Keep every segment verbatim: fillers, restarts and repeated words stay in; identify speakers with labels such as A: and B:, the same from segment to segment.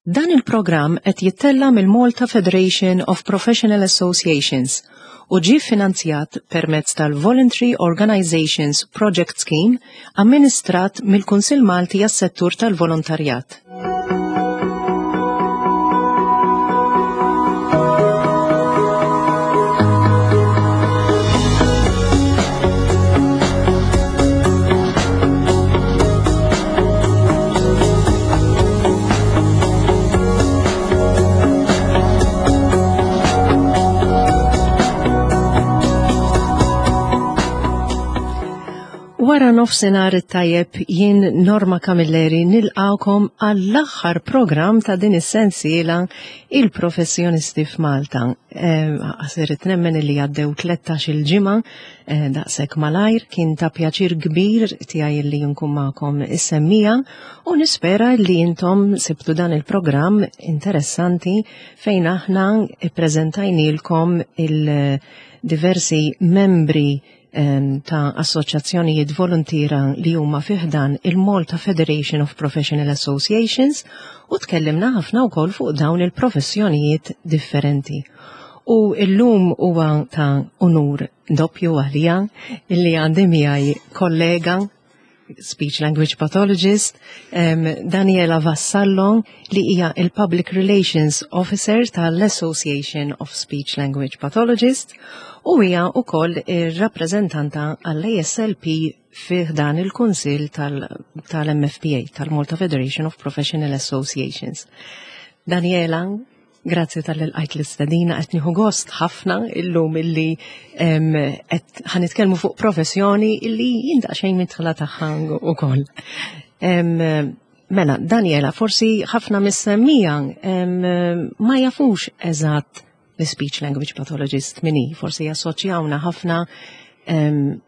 A: Dan il-programm qed jittella' mill-Malta Federation of Professional Associations u ġie finanzjat permezz tal-Voluntary Organizations Project Scheme amministrat mill-Kunsill Malti għas-Settur tal-Volontarjat. Wara nofsinhar it-tajjeb, jien Norma Camilleri nilqawkom għall-aħħar programm ta' din is-sensiela Il-Professjonisti f'Malta. Għasirit nemmen li għaddew tlettax-il ġimgħa eh, daqshekk malajr, kien ta' pjaċir kbir tiegħi li nkun magħkom is-semmija u nispera li intom sibtu dan il-programm interessanti fejn aħna ippreżentajnielkom il-diversi membri ta' assoċjazzjonijiet volontira li huma fiħdan il-Malta Federation of Professional Associations u tkellimna ħafna wkoll fuq dawn il-professjonijiet differenti. U illum huwa ta' unur doppju għalija illi għandi miegħi kollega speech language pathologist um, Daniela Vassallo li hija il-Public Relations Officer tal-Association of Speech Language Pathologists u hija wkoll ir-rappreżentanta għall-A S L P fih dan il-Kunsill tal-M F P A, tal-Malta Federation of Professional Associations. Daniela, grazzi talli lqajt l-istedina, qed nieħu gost ħafna illum illi qed ħa nitkellmu fuq professjoni illi jien daqsxejn midħla tagħha ukoll. Mela, Daniela, forsi ħafna mis-semmija ma jafux eżatt l-speech language pathologist min hi, forsi jassoċjawna ħafna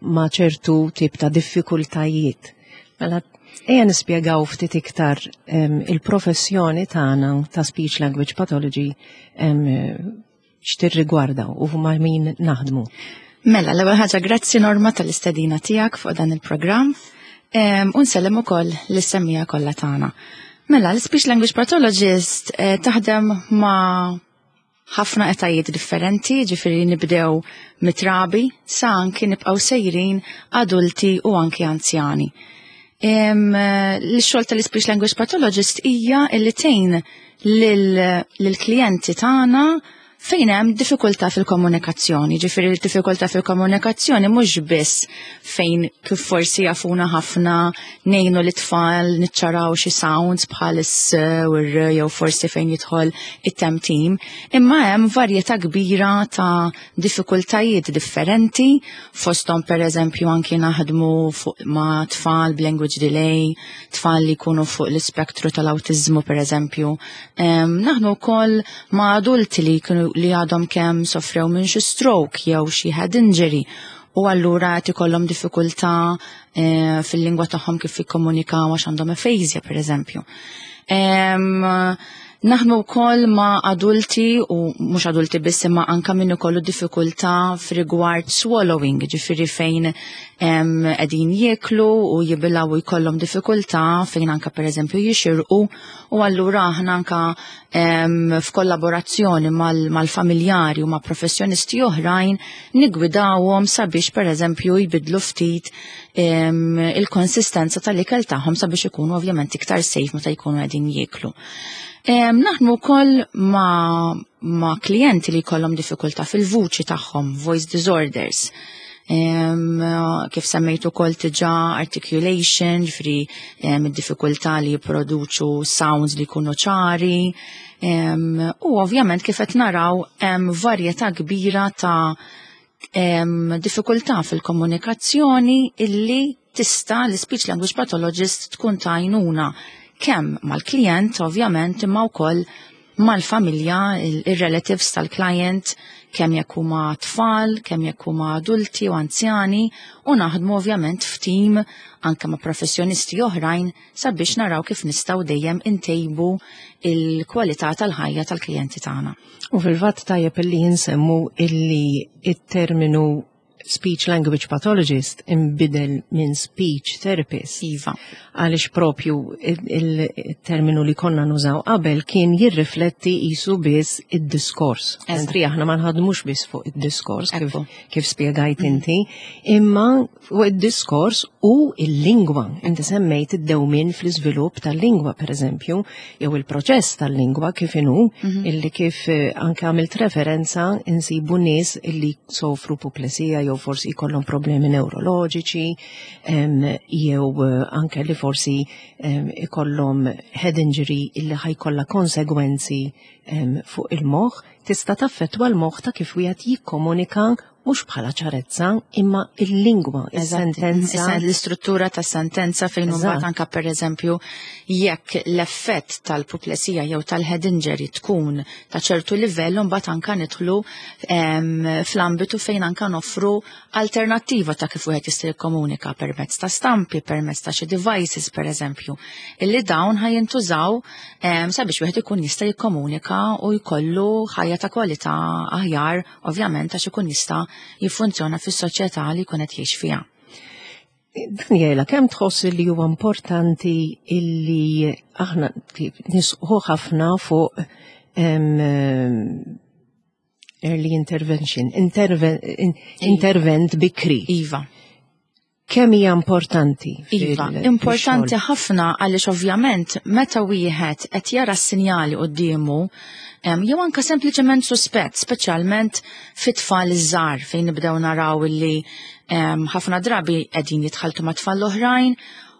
A: ma' ċertu tip ta' diffikultajiet. Mela, ejja nispjegaw ftit iktar il-professjoni tagħna ta' speech language pathology, x'tirrigwarda u ma' min naħdmu.
B: Mela, l-ewwel ħaġa, grazzi Norma tal-istedina tiegħek fuq dan il-programm. U nsellem ukoll lis-semmija kollha tagħna. Mela, l-speech language pathologist eh, taħdem ma' ħafna etajiet differenti, ġifieri nibdew mit-trabi sa anki nibqgħu sejrin adulti u anki anzjani. L-xogħol tal-speech language pathologist hija illi tgħin lill-klijenti tagħna fejn hemm diffikultà fil-komunikazzjoni. Ġifieri l-diffikultà fil-komunikazzjoni mhux biss fejn kif forsi jafuna ħafna ngħinu l-tfal niċċaraw xi sounds bħal is u r jew forsi fejn jidħol it-temtim, imma hemm varjetà kbira ta' diffikultajiet differenti, fosthom pereżempju anki naħdmu fuq ma' tfal b'language delay, tfal li jkunu fuq l-ispektru tal-awtiżmu pereżempju. Naħdmu wkoll ma' adulti li jkunu li għadhom kemm sofrew minn xi stroke jew xi head injury u allura qed ikollhom diffikultà eh, fil-lingwa tagħhom kif jikkomunikaw għax għandhom aphasia pereżempju. Naħdmu wkoll ma' adulti u mhux adulti biss, imma anka min ikollu diffikultà f'rigward swallowing, ġifieri fejn qegħdin jieklu u jibilgħu u jkollhom diffikultà fejn anka pereżempju jixirqu, u allura aħna anka f'kollaborazzjoni mal-familjari u ma' professjonisti oħrajn nigwidawhom sabiex pereżempju jbidlu ftit il-konsistenza tal-ikel tagħhom sabiex ikunu ovvjament iktar safe meta jkunu qegħdin jieklu. Naħdmu wkoll ma', ma klijenti li jkollhom diffikultà fil-vuċi tagħhom, voice disorders. Um, kif semmejtu ukoll diġà, articulation, ġifieri um, id-diffikultà li jipproduċu sounds li jkunu ċari. Um, u ovvjament kif qed naraw hemm varjetà kbira ta' um, diffikultà fil-komunikazzjoni illi tista' l-speech language pathologist tkun ta' għajnuna kemm mal-klient ovvjament, imma wkoll mal-familja, il-relatives tal-klient, kemm jekk huma tfal, kemm jekk huma adulti u anzjani, u naħdmu ovvjament f'tim anke ma' professjonisti oħrajn sabiex naraw kif nistgħu dejjem intejbu il-kwalità tal-ħajja tal-klijenti tagħna.
A: U fil-fatt tajjeb illi jinsemmu illi it-terminu Speech language pathologist imbidel minn speech therapist.
B: Iva.
A: Għaliex propju il-terminu li konna nużaw qabel kien jirrifletti jisu biss id-diskors. Mentri aħna ma nħadmux biss fuq id-diskors kif, kif spjegajt mm. inti, imma fuq id-diskors u il-lingwa. Inti semmejt id-dewmin fl-iżvilupp tal-lingwa, per eżempju, jew il-proċess tal-lingwa kif inhu, mhm. illi kif eh, anke għamilt referenza insibu nies illi sofru puplesija jew forsi jkollhom problemi neuroloġiċi, jew eh, anke li forsi ikollhom head injury illi ħa jkollha konsegwenzi fuq il-moħħ, tista' taffettwa l-moħħ ta' kif wieħed jikkomunika, mhux bħala ċarezza, imma il-lingwa,
B: il-sentenza. L-istruttura ta' sentenza, fejn mbagħad anka, pereżempju, jekk l-effett tal-puplesija jew tal-head injury tkun ta' ċertu livell, mbagħad anka nidħlu fl-ambitu fejn anka noffru alternattiva ta' kif wieħed jista' jikkomunika permezz ta' stampi, permezz ta' xi devices, pereżempju, illi dawn ħa jintużaw sabiex wieħed ikun jista' jikkomunika u jkollu ħajja ta' kwalità aħjar, ovvjament, għax ikun jista' jiffunzjona fis-soċjetà li jkun qed jgħix fiha.
A: Daniela, kemm tħoss li huwa importanti illi aħna nisħu ħafna fuq early intervention, interven, intervent bikri?
B: Iva.
A: Kemm hija importanti?
B: Iva, importanti ħafna, għaliex ovvjament meta wieħed qed jara s-sinjali quddiemu jew anka sempliċement suspett, speċjalment fit-tfal iż-żgħar, fejn nibdew naraw illi ħafna drabi qegħdin jitħaltu ma' tfal oħrajn.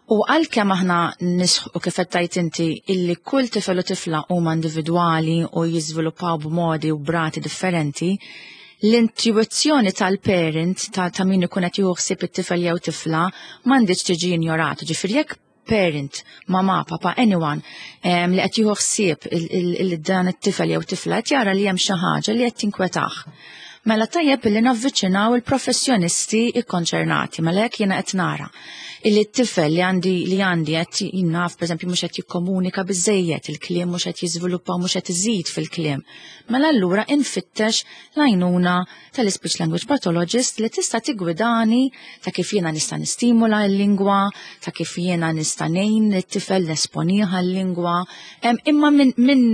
B: U għalkemm aħna nisħu, kif qed inti, illi kull tifel u tifla huma individwali u jiżviluppaw b'modi u b'rati differenti, l-intuizzjoni tal-parent, ta', ta min ikun qed jieħu ħsieb it-tifel jew tifla, m'għandix tiġi injorata. Ġifieri jekk parent, mama, papa, anyone um, li qed jieħu ħsieb il-dan it-tifel jew tifla qed jara li hemm xi ħaġa li qed tinkwetah, mela tajjeb li navviċinaw il-professjonisti ikkonċernati. Mela jekk jiena qed nara illi t-tifel li għandi li għandi qed jinnaf, pereżempju, mhux qed jikkomunika biżejjed, il-kliem mhux qed jiżviluppa, mhux qed iżid fil-kliem, mela allura infittex l-għajnuna tal-speech language pathologist li tista' tigwidani ta' kif jiena nista' nistimula l-lingwa, ta' kif jiena nista' ngħin it-tifel nesponiha l-lingwa, imma minn min,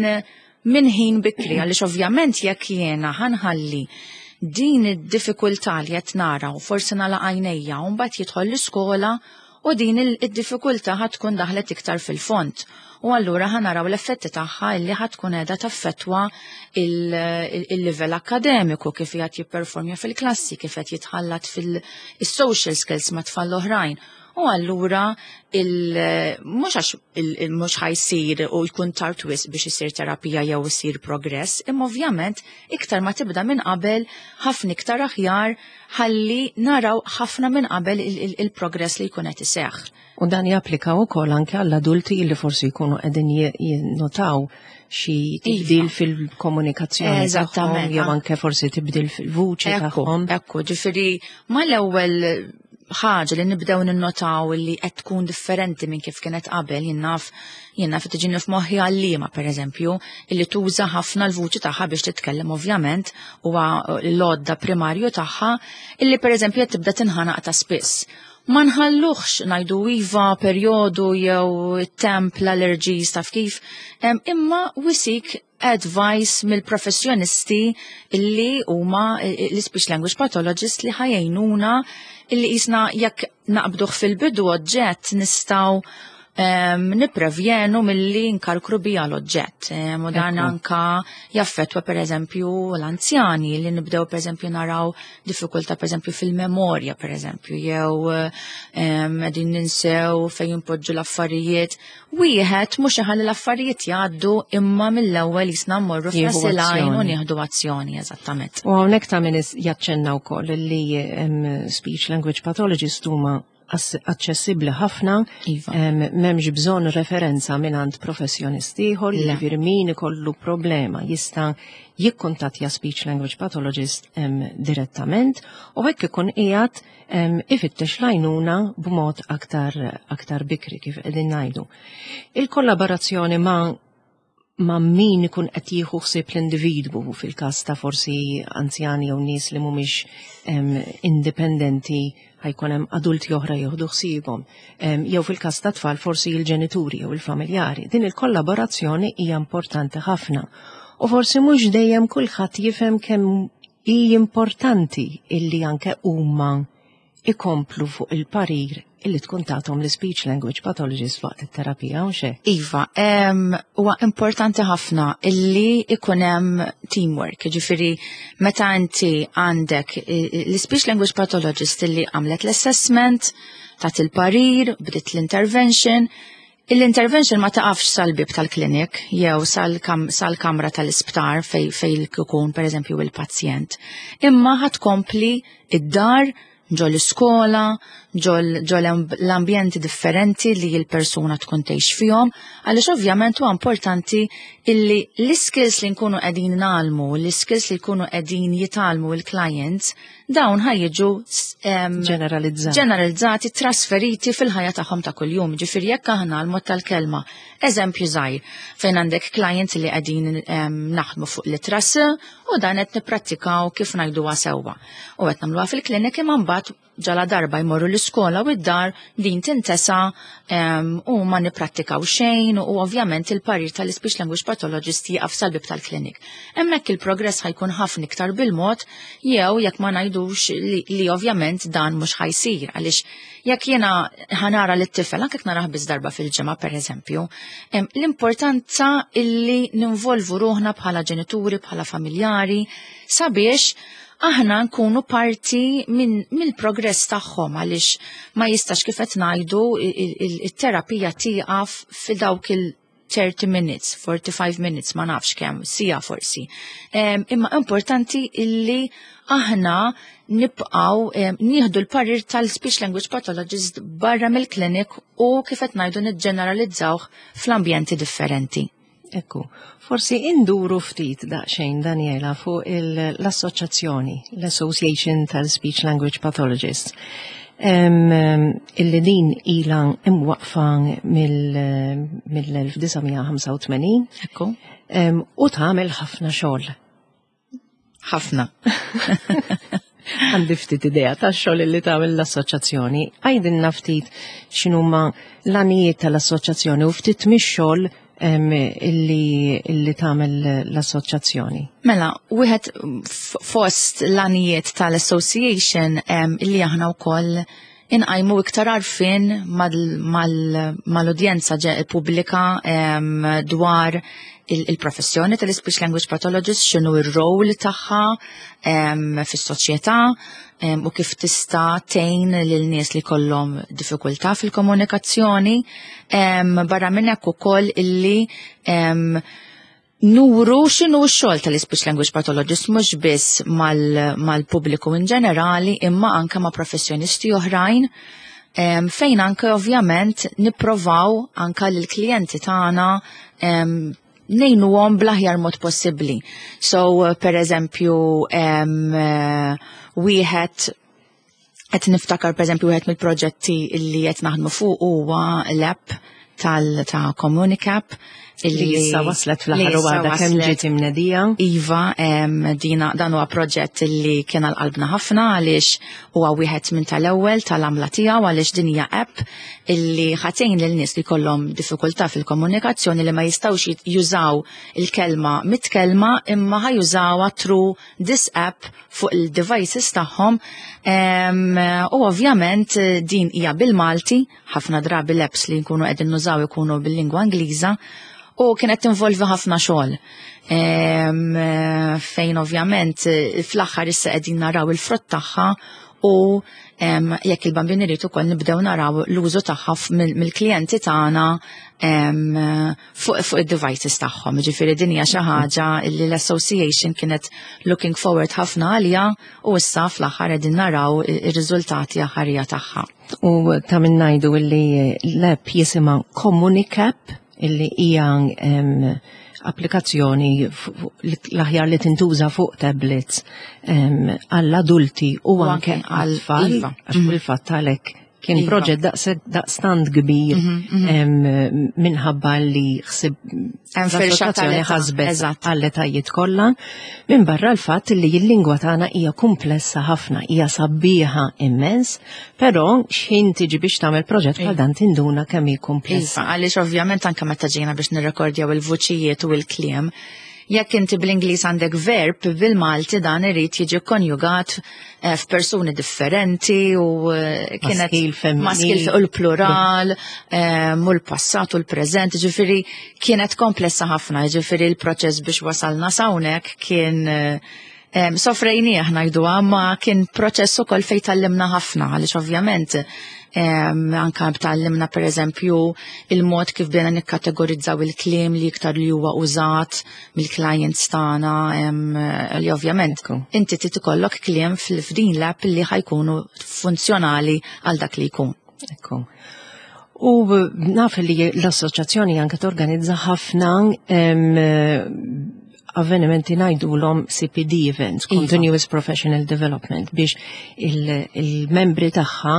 B: min ħin bikri, għaliex ovvjament jekk jiena ħa nħalli din id-diffikultà li qed nara u forsi nagħlaq għajnejja, u mbagħad jidħol l-iskola u din id-diffikultà ħa tkun daħlet iktar fil-fond. U allura ħa naraw l-effetti tagħha illi ħa tkun qiegħda taffettwa il-livell akademiku, kif qed jipperformja fil-klassi, kif qed jitħallat fil-social skills ma' tfal oħrajn. U allura mhux għax mhux ħa jsir u jkun tard wisq biex isir terapija jew isir progress, imma ovvjament iktar ma tibda minn qabel, ħafna iktar aħjar, ħalli naraw ħafna minn qabel il-progress li jkun qed iseħħ.
A: U dan japplika wkoll anke għall-adulti li forsi jkunu qegħdin jinnotaw xi tibdil iva. fil-komunikazzjoni tagħhom jew anke forsi tibdil fil-vuċi tagħhom.
B: Ekku, ġifieri mal-ewwel ħaġa li nibdew ninnotaw li qed tkun differenti minn kif kienet qabel, jien naf jien naf tiġini f'moħħi għalliema, pereżempju, illi tuża ħafna l-vuċi tagħha biex titkellem, ovvjament huwa l-għodda primarju tagħha, illi pereżempju qed tibda tinħanaq ta' spiss. Ma nħalluħx ngħidu iva perjodu jew temp, l-allergies, taf kif, imma we seek advice mill-professjonisti illi huma l-speech language pathologist li ħa jgħinuna, illi jisna jekk naqbduh fil-bidu oġġett nistgħu um, niprevjenu milli nkarkru bija l-oġġett. Um, u dan anka jaffetwa, per eżempju, l-anzjani li nibdew, per eżempju, naraw diffikultà, per eżempju, fil-memorja, per eżempju, jew qegħdin ninsew fejn poġġu l-affarijiet. Wieħed mhux iħalli l-affarijiet jgħaddu, imma mill-ewwel jisna mmorru f'rasilajn u nieħdu azzjoni, eżattament.
A: U hawnhekk ta' min jaċċenna wkoll li speech language pathologist huma aċċessibbli ħafna,
B: iva.
A: M'hemmx bżonn referenza mingħand professjonisti ieħor, jiġifieri min ikollu problema jista' jikkuntattja speech language pathologist direttament u hekk ikun qiegħed ifittex l-għajnuna b'mod aktar aktar bikri, kif qegħdin ngħidu. Il-kollaborazzjoni ma' ma' min ikun qed jieħu ħsieb l-individwu, fil-każ ta' forsi anzjani jew nies li mhumiex indipendenti, ħa jkun hemm adulti oħra jieħdu ħsiebhom. Jew fil-każ ta' tfal, forsi il-ġenituri jew il-familjari. Din il-kollaborazzjoni hija importanti ħafna. U forsi mhux dejjem kulħadd jifhem kemm hi importanti illi anke huma ikomplu fuq il-parir illi tkun tagħthom l-speech language pathologist waqt it-terapija, u xe?
B: Iva, huwa importanti ħafna illi ikun hemm teamwork, ġifieri meta inti għandek l-speech language pathologist illi għamlet l-assessment, tat il-parir, bdiet l-intervention, l-intervention ma taqafx sal-bib tal-klinik jew sal-kamra tal-isptar fej fej ikun per eżempju il-pazjent. Imma ħa tkompli id-dar, ġo l-iskola, ġo l-ambjenti differenti li l-persuna tkun tgħix fihom, għaliex ovvjament huwa importanti illi l-skills li nkunu qegħdin ngħallmu, l-skills li jkunu qegħdin jitgħallmu il-clients, dawn ħa jiġu
A: ġeneralizzati.
B: Ġeneralizzati, trasferiti fil-ħajja tagħhom ta' kuljum. Ġifieri jekk aħna l-mod tal-kelma, eżempju żgħir, fejn għandek clients li qegħdin naħdmu fuq l-ittra S u dan qed nipprattikaw kif ngħiduha sewwa. U qed nagħmluha fil-klinik, imma mbagħad ġala darba jmorru l-iskola u id-dar din tintesa u ma niprattikaw xejn u ovvjament il-parir tal-speech language pathologist jieqaf sal-bib tal-klinik. Hemmhekk il-progress ħa jkun ħafna iktar bil-mod, jew jekk ma ngħidux li, li ovvjament dan mhux ħa jsir, għaliex jekk jiena ħa nara lit-tifel anke narah biss darba fil-ġimgħa, pereżempju, l-importanza illi ninvolvu ruħna bħala ġenituri, bħala familjari, sabiex aħna nkunu parti minn mill-progress tagħhom, għaliex ma jistax, kif qed ngħidu, it-terapija tieqaf fi dawk il thirty minutes, forty-five minutes, ma nafx kemm, siegħa forsi. Imma importanti illi aħna nibqaw nieħdu l-parir tal-speech language pathologist barra mill-klinik u, kif qed ngħidu, niġġeneralizzawh fl-ambjenti differenti.
A: Ekku, forsi induru ftit daqsxejn, Daniela, fuq l-assoċjazzjoni, l-Association tal-Speech Language Pathologists, illi din ila imwaqfa mill-elf disa' mija ħamsa u tmenin.
B: Ekku.
A: U tagħmel ħafna xogħol.
B: Ħafna.
A: Għandi ftit idea ta' xogħol li tagħmel l-assoċjazzjoni. Għidilna ftit x'inhuma l-għanijiet tal-assoċjazzjoni u ftit mix-xogħol illi, illi tagħmel l-assoċjazzjoni.
B: Mela, wieħed fost l-għanijiet tal-association illi aħna wkoll inqajmu iktar għarfien mal-udjenza pubblika dwar il-professjoni tal-speech language pathologist, x'inhu ir-role tagħha fis-soċjetà u kif tista' tgħin lil nies li kollhom diffikultà fil-komunikazzjoni. Barra minn hekk ukoll illi nuru x'inhu x-xogħol tal-speech language pathologist mhux biss mal-pubbliku in ġenerali imma anke ma' professjonisti oħrajn, fejn anke ovvjament nipprovaw anke lill-klijenti tagħna ngħinuhom bl-aħjar mod possibbli. So, per eżempju, wieħed qed niftakar, per eżempju, wieħed mill-proġetti li qed naħdmu fuq huwa l-app tal ta' Comunicap.
A: Illi issa waslet fl-aħħar u għadha kemm ġiet imnedija.
B: Iva, dina dan huwa proġett li kien għal qalbna ħafna għaliex huwa wieħed minn tal-ewwel tal-għamla tiegħu, għaliex din hija app illi ħa tgħin lil nies li kollhom diffikultà fil-komunikazzjoni, li ma jistgħux jużaw il-kelma mit-kelma imma ħa jużawha through this app fuq il-devices tagħhom. U ovvjament din hija bil-Malti, ħafna drabi l-apps li nkunu qegħdin nużaw ikunu bil-lingwa Ingliża, u kienet tinvolvi ħafna xogħol. Fejn ovvjament fl-aħħar issa qegħdin naraw il-frott tagħha u jekk il-Bambin irid ukoll nibdew naraw l-użu tagħha mill-klijenti tagħna fuq fuq id-devices tagħhom. Ġifieri din hija xi ħaġa li l-association kienet looking forward ħafna għalija u issa fl-aħħar qegħdin naraw ir-riżultati aħħarija tagħha.
A: U ta' min ngħidu illi l-app jisimha Comunicap, illi hija applikazzjoni l-aħjar li tintuża fuq tablets għall-adulti u anke għall-tfal, iva. Għax mhm. fil-fatt għalhekk Kien
B: Iva.
A: proġett daqs- daqstant kbir
B: Mhm,
A: em, minħabba li ħsib
B: Hemm firxa
A: l-assoċjazzjoni
B: tal-età,
A: ħasbet
B: eżatt.
A: għall-etajiet kollha, minn barra l-fatt li l-lingwa tagħna hija komplessa ħafna, hija sabiħa immens, però x'ħin tiġi biex tagħmel proġett bħal dan tinduna kemm hi komplessa.
B: Iva, għaliex ovvjament anke meta ġejna biex nirrekordjaw il-vuċijiet u il-kliem, jekk inti bl-Ingliż għandek verb, bil-Malti dan irid jiġi konjugat eh, f'persuni differenti u eh, kienet
A: Maskil, femminil.
B: maskil u l-plural, eh, u l-passat u l-preżent, ġifieri kienet komplessa ħafna, ġifieri l-proċess biex wasalna s'hawnhekk kien eh, Em, Sofrejnieh ngħidu, ma kien proċess ukoll fejn tgħallimna ħafna, għaliex ovvjament em, anka tgħallimna per eżempju il-mod kif bdejna nikkategorizzaw il-kliem li iktar li huwa użat mill-clients tagħna, em, li ovvjament
A: Ekku.
B: inti trid ikollok kliem fil-fdin l-app li ħa jkunu funzjonali għal dak li jkun.
A: Ekku. U naf li l-assoċjazzjoni anke torganizza ħafna em, avvenimenti ngħidulhom C P D events,
B: Iva.
A: Continuous Professional Development, biex il- il-membri tagħha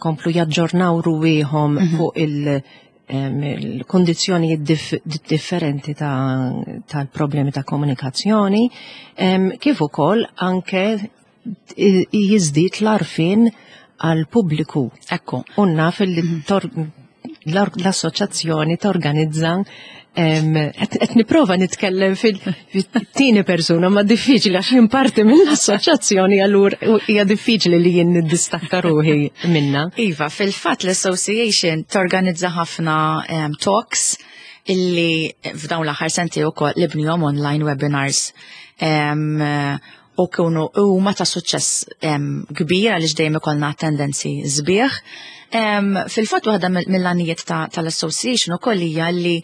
A: komplu jaġġornaw ruwieħhom fuq il- em, il-kondizjoni dif differenti ta' tal-problemi ta' komunikazzjoni, em, kif ukoll anke i- jiżdied l-għarfien għal pubbliku.
B: Ekku.
A: U naf li tor- l- l-assoċjazzjoni torganizza em, qed qed nipprova nitkellem fil-tieni persuna, ma diffiċli għax jien parti mill-assoċjazzjoni, allura hija diffiċli li jien niddistakka ruħi minna.
B: Iva, fil-fatt l-Association torganizza ħafna um, talks illi f'dawn l-aħħar sentejn ukoll li bnihom online webinars. Um, u kienu huma ta' suċċess um, kbir għaliex dejjem ikollna attendenzi sbieħ. Um, fil-fatt waħda mill- mill-għanijiet ta- tal-Association ukoll hija li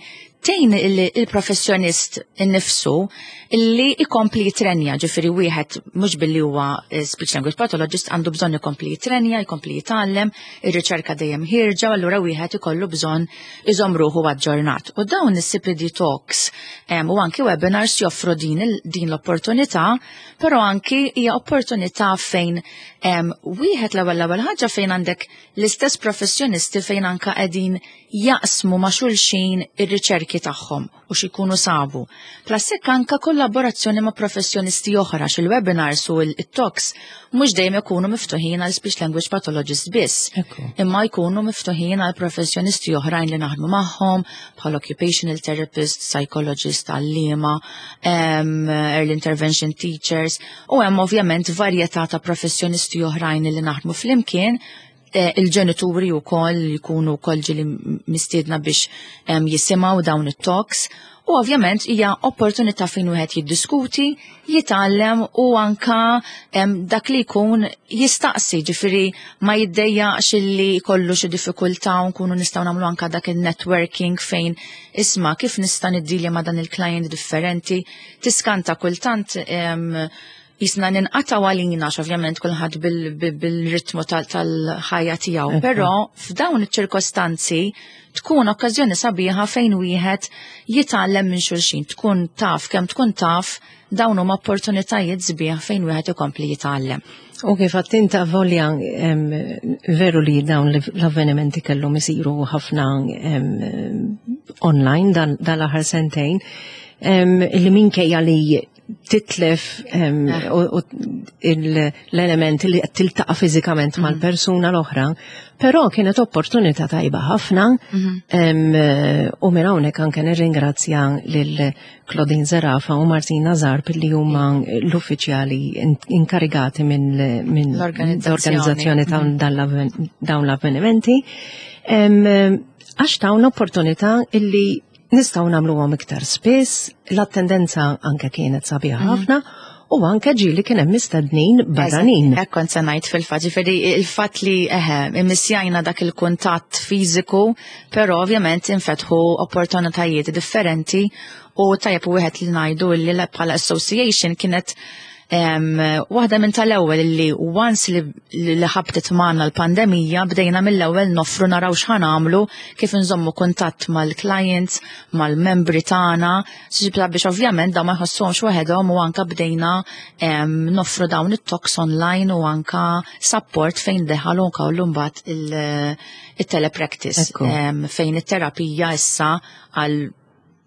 B: tgħin il- il-professjonist innifsu illi ikompli jitrenja, ġifieri wieħed mhux billi huwa eh, speech language pathologist għandu bżonn ikompli jitrenja, ikompli jitgħallem, ir-riċerka dejjem ħierġa, u allura wieħed ikollu bżonn iżomm ruħu aġġornat. U dawn is-C P D talks em, u anki webinars joffru din, il- din l-opportunità, però anki hija opportunità fejn em, wieħed l-ewwel l-ewwel ħaġa fejn għandek l-istess professjonisti fejn anka qegħdin jaqsmu ma' xulxin ir-riċerki tagħhom u x'ikunu sabu. Plus hekk anka kollaborazzjoni ma' professjonisti oħra, xil-webinars u il-talks mhux dejjem ikunu miftuħin għal speech language pathologist biss.
A: Ekku.
B: Imma jkunu miftuħin għal professjonisti oħrajn li naħdmu magħhom, bħal occupational therapist, psychologist, għalliema, um, early intervention teachers, u hemm ovvjament varjetà ta' professjonisti oħrajn li naħdmu flimkien, eh, il-ġenituri u koll jkunu koll ġili mistiedna biex em, jisimgħu dawn it-talks. U ovvjament hija opportunità fejn wieħed jiddiskuti, jitgħallem u anka em, dak li jkun jistaqsi, ġifieri ma jiddejjaqx illi jkollu xi diffikultà u nkunu nistgħu nagħmlu anka dak il-networking fejn isma' kif nista' niddilja ma' dan il-client differenti. Tiskanta kultant em, jisna ninqataw għalina, ovvjament kulħadd bil-ritmu tal-ħajja tiegħu, però f'dawn iċ-ċirkostanzi tkun okkażjoni sabiħa fejn wieħed jitgħallem minn xulxin, tkun taf kemm tkun taf, dawn huma opportunitajiet sbieħ fejn wieħed ikompli jitgħallem.
A: U kif għedt volja em, veru li dawn l-avvenimenti kellhom isiru ħafna em, online dan dal-aħħar sentejn, em, li minkejja li titlef em, u, u il- l-element li qed tiltaqa' fiżikament mal-persuna l-oħra, però kienet opportunità tajba ħafna em, u minn hawnhekk anke nirringrazzja lil Claudine Zerafa u Martina Zarb li huma l-uffiċjali in- inkarigati minn min
B: L-organizzazzjoni.
A: l-organizzazzjoni ta' dan dawn l-avvenimenti. Em, Għax tawna opportunità illi nistgħu nagħmluhom iktar spiss, l-attendenza anke kienet sabiħa ħafna u anke ġieli kien hemm mistednin barranin.
B: Hekk kont se ngħid fil-fatt, ġifieri il-fatt li eħe immissjajna dak il-kuntatt fiżiku, però ovvjament infetħu opportunitajiet differenti u tajjeb u wieħed li ngħidu li bħala association kienet Waħda minn tal-ewwel li once li, li ħabtet magħna l-pandemija, bdejna mill-ewwel noffru, naraw x'ħa nagħmlu, kif nżommu kuntatt mal-clients, mal-membri tagħna, biex ovvjament dawn ma jħossuhomx waħedhom, u anka bdejna noffru dawn it-talks online u anka support fejn deħalu anka mbagħad il-telepractice, fejn it-terapija issa għal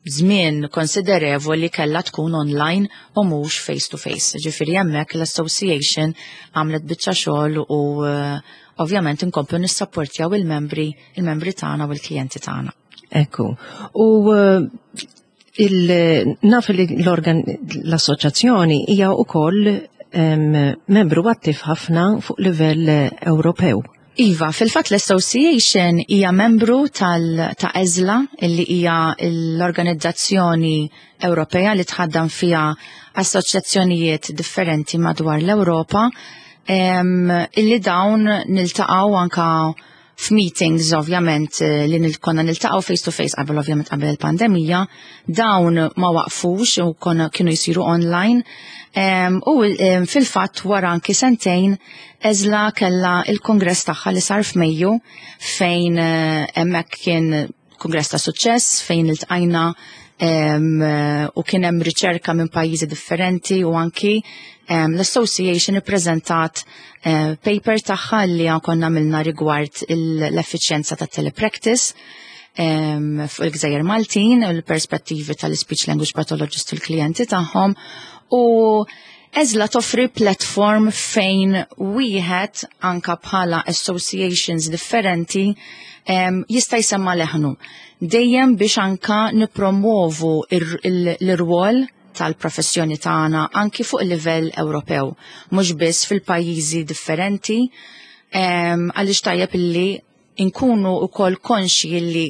B: żmien konsiderevoli kella tkun online u mhux face to face. Ġifieri hemmhekk l-association għamlet biċċa xogħol u uh, ovvjament inkomplu nissapportjaw il-membri il-membri tagħna u l-klijenti tagħna.
A: Ekku. U uh, il naf li l-assoċjazzjoni hija wkoll membru attiv ħafna fuq livell Ewropew.
B: Iva, fil-fat l-Association hija membru tal ta' ESLA, illi hija l-organizzazzjoni Ewropea li tħaddam fiha assoċjazzjonijiet differenti madwar l-Ewropa, illi dawn niltaqgħu anka f'meetings, ovvjament li konna niltaqgħu face to face qabel, ovvjament qabel il-pandemija, dawn ma waqfux u konna kienu jsiru online. U fil-fatt wara anki sentejn ESLA kella il-kongress tagħha li sar f'Mejju, fejn eh, hemmhekk kien kongress ta' suċċess fejn iltqajna u kien hemm riċerka minn pajjiżi differenti u anki l-association ippreżentat eh, paper tagħha li konna għamilna rigward l-effiċjenza ta' telepractice fuq il-Gżejjer Maltin u l-perspettivi tal-speech language pathologist u l-klijenti tagħhom. U ESLA toffri platform fejn wieħed anka bħala associations differenti um, jista' jsemma leħnu. Dejjem biex anka nipromovu l-irwol tal-professjoni tagħna anki fuq il-livell Ewropew, mhux biss fil-pajjiżi differenti, għaliex tajjeb illi nkunu wkoll konxi illi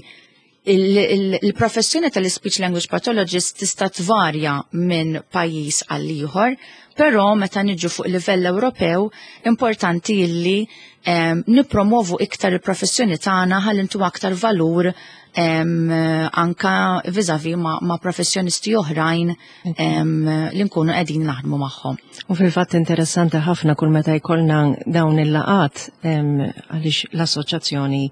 B: il-professjoni tal-speech language pathologist tista' tvarja minn pajjiż għal ieħor, però meta niġu fuq livell Ewropew importanti illi um, nipromovu iktar il-professjoni tagħna ħalli ntu aktar valur um, anka vis-à-vis ma, ma professjonisti oħrajn um, li nkunu qegħdin naħdmu magħhom.
A: U fil-fatt interessanti ħafna kull meta jkollna dawn il-laqat, għaliex l-Assoċjazzjoni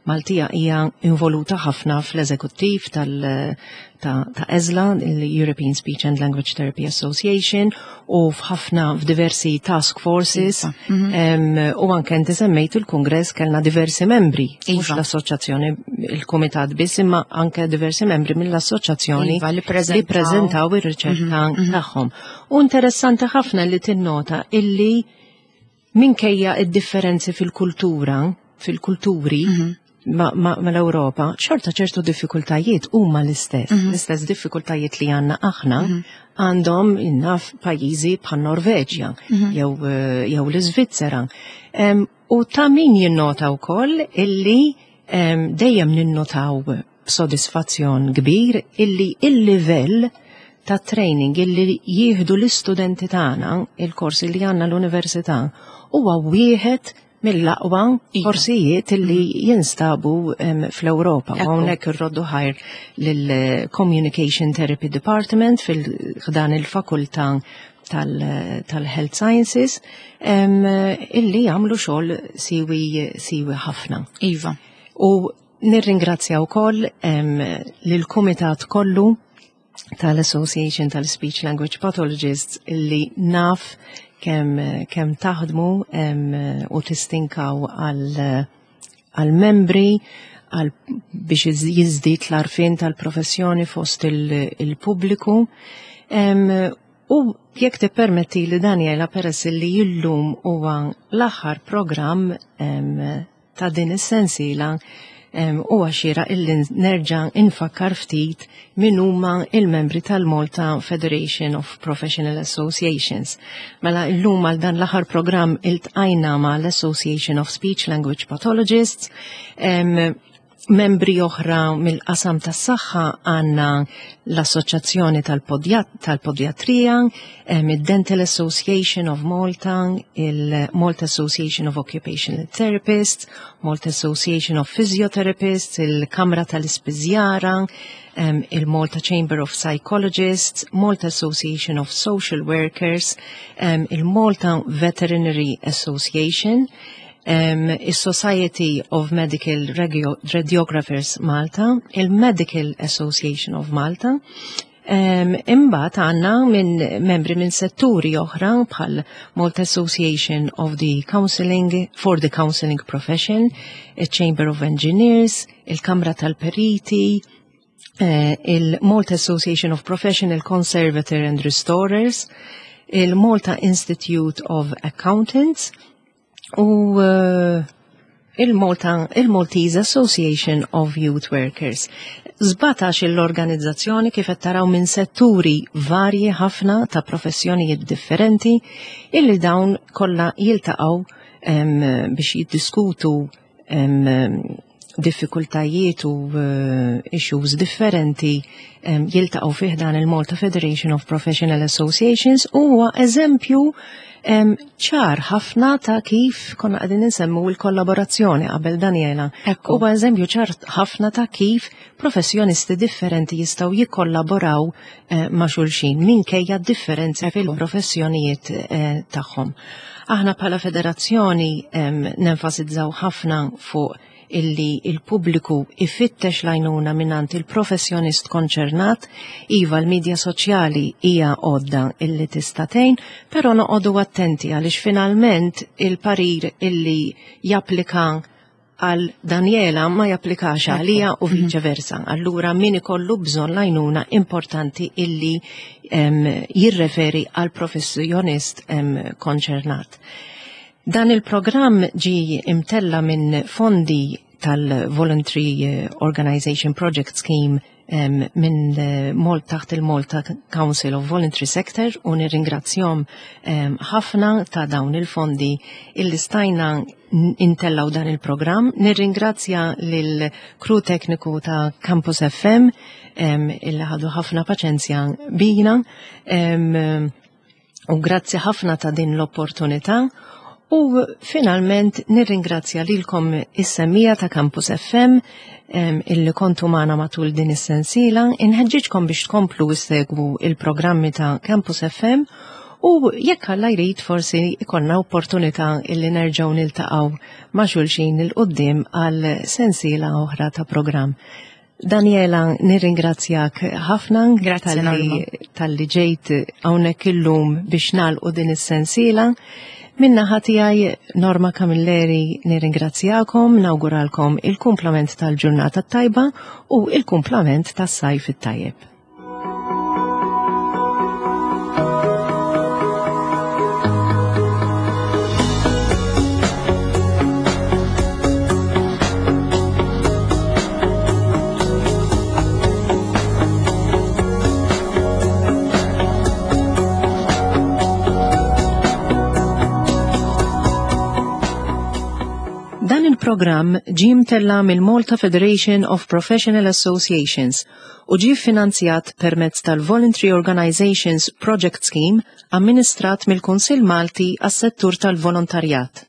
A: Maltija hija involuta ħafna fl-eżekuttiv tal ta', ta ESLA, il-European Speech and Language Therapy Association, u f'ħafna f'diversi task forces,
B: Iva. Mhm.
A: um, u anke inti semmejt il-kongress, kellna diversi membri, mhux
B: Iva.
A: l-assoċjazzjoni, il-kumitat biss, imma anke diversi membri mill-assoċjazzjoni
B: Iva, li
A: li
B: preżentaw.
A: preżentaw ir-riċerka tagħhom. U interessanti ħafna li tinnota illi minkejja id-differenzi fil-kultura, fil-kulturi, ma, ma, ma l-Ewropa, xorta ċertu diffikultajiet huma l-istess. L-istess diffikultajiet li għandna aħna għandhom innaf pajjiżi bħal Norveġja jew eh, jew l-Iżvizzera. Em, U ta' min jinnota wkoll illi em, dejjem ninnotaw b'sodisfazzjon kbir illi il-livell ta' training illi jieħdu l-istudenti tagħna, il-korsi li għandna l-università, huwa wieħed mill-aqwa
B: Iva.
A: korsijiet illi jinstabu em, fl-Ewropa. U
B: Ekku.
A: hawnhekk irroddu ħajr lill-Communication Therapy Department fil-ħdan il-fakultà tal- tal-Health Sciences em, illi jagħmlu xogħol siwi siwi ħafna.
B: Iva.
A: U nirringrazzja wkoll em, lill-kumitat kollu tal-Association tal-Speech Language Pathologists, illi naf kemm kemm taħdmu em, u tistinkaw għal għal membri għal biex jiż- jiżdied l-għarfien tal-professjoni fost il- il-pubbliku. Em, U jekk tippermetti li, Daniela, peress li illum huwa l-aħħar programm em, ta' din is-sensiela, em, huwa xieraq illi nerġa' infakkar ftit min huma il-membri tal-Malta Federation of Professional Associations. Mela illum għal dan l-aħħar programm iltqajna ma' l-Association of Speech Language Pathologists, em, Membri oħra mill-qasam tas-saħħa għandna l-Assoċjazzjoni tal-Podjatrija, id-Dental Association of Malta, il-Malta Association of Occupational Therapists, Malta Association of Physiotherapists, il-Kamra tal-Ispiżjara, il-Malta Chamber of Psychologists, Malta Association of Social Workers, il-Malta Veterinary Association, um, il-Society of Medical Radiographers Malta, il-Medical Association of Malta. um, Imbagħad għandna minn membri minn setturi oħra bħal Malta Association of the Counseling for the Counseling Profession, il-Chamber of Engineers, il-Kamra tal-Periti, uh, il-Malta Association of Professional Conservator and Restorers, il-Malta Institute of Accountants, u uh, il-Malta, il-Maltese Association of Youth Workers. Sbatax l-organizzazzjoni, kif qed taraw, minn setturi varji ħafna ta' professjonijiet differenti illi dawn kollha jiltaqgħu um, biex jiddiskutu um, diffikultajiet u uh, issues differenti, um, jiltaqgħu fih dan il-Malta Federation of Professional Associations, u huwa eżempju ċar ħafna ta' kif konna qegħdin nsemmu l-kollaborazzjoni qabel, Daniela. Huwa eżempju ċar ħafna ta' kif professjonisti differenti jistgħu jikkollaboraw eh, ma' xulxin minkejja differenzi fil-professjonijiet eh, tagħhom. Aħna bħala federazzjoni nenfasizzaw ħafna fuq illi il-pubbliku ifittex l-għajnuna mingħand il-professjonist konċernat. Iva, l-medja soċjali hija għodda illi tista' tgħin, però noqogħdu attenti għaliex finalment il-parir illi japplika għal Daniela ma japplikax għalija u mhm. vice versa. Allura min ikollu bżonn l-għajnuna, importanti illi um, jirreferi għal professjonist um, konċernat. Dan il-programm ġi imtella minn fondi tal-Voluntary eh, Organization Project Scheme um, minn eh, Malt taħt il-Malta Council of Voluntary Sector u nirringrazzjahom ħafna um, ta' dawn il-fondi illi stajna intellaw dan il-programm. Nirringrazzja lil crew tekniku ta' Campus F M um, illi ħadu ħafna paċenzja bina um, u grazzi ħafna ta' din l-opportunità. U finalment nirringrazzja lilkom is-semmiegħa ta' Campus F M illi kontu magħna matul din is-sensiela, inħeġġiġkom biex tkomplu issegwu il-programmi ta' Campus F M u jekk Alla jrid forsi ikollna opportunità illi nerġgħu niltaqgħu ma' xulxin 'il quddiem għal sensiela oħra ta' programm. Daniela, nirringrazzjak ħafna talli ġejt hawnhekk illum biex nagħlqu din is-sensiela. Min-naħa tiegħi, Norma Camilleri, nirringrazzjakom, nawguralkom il-kumplament tal-ġurnata tajba u il-kumplament tas-sajf it-tajjeb. Dan il-programm ġie mtella mill-Malta Federation of Professional Associations u ġie finanzjat permezz tal-Voluntary Organizations Project Scheme amministrat mill-Kunsill Malti għas-settur tal-volontarjat.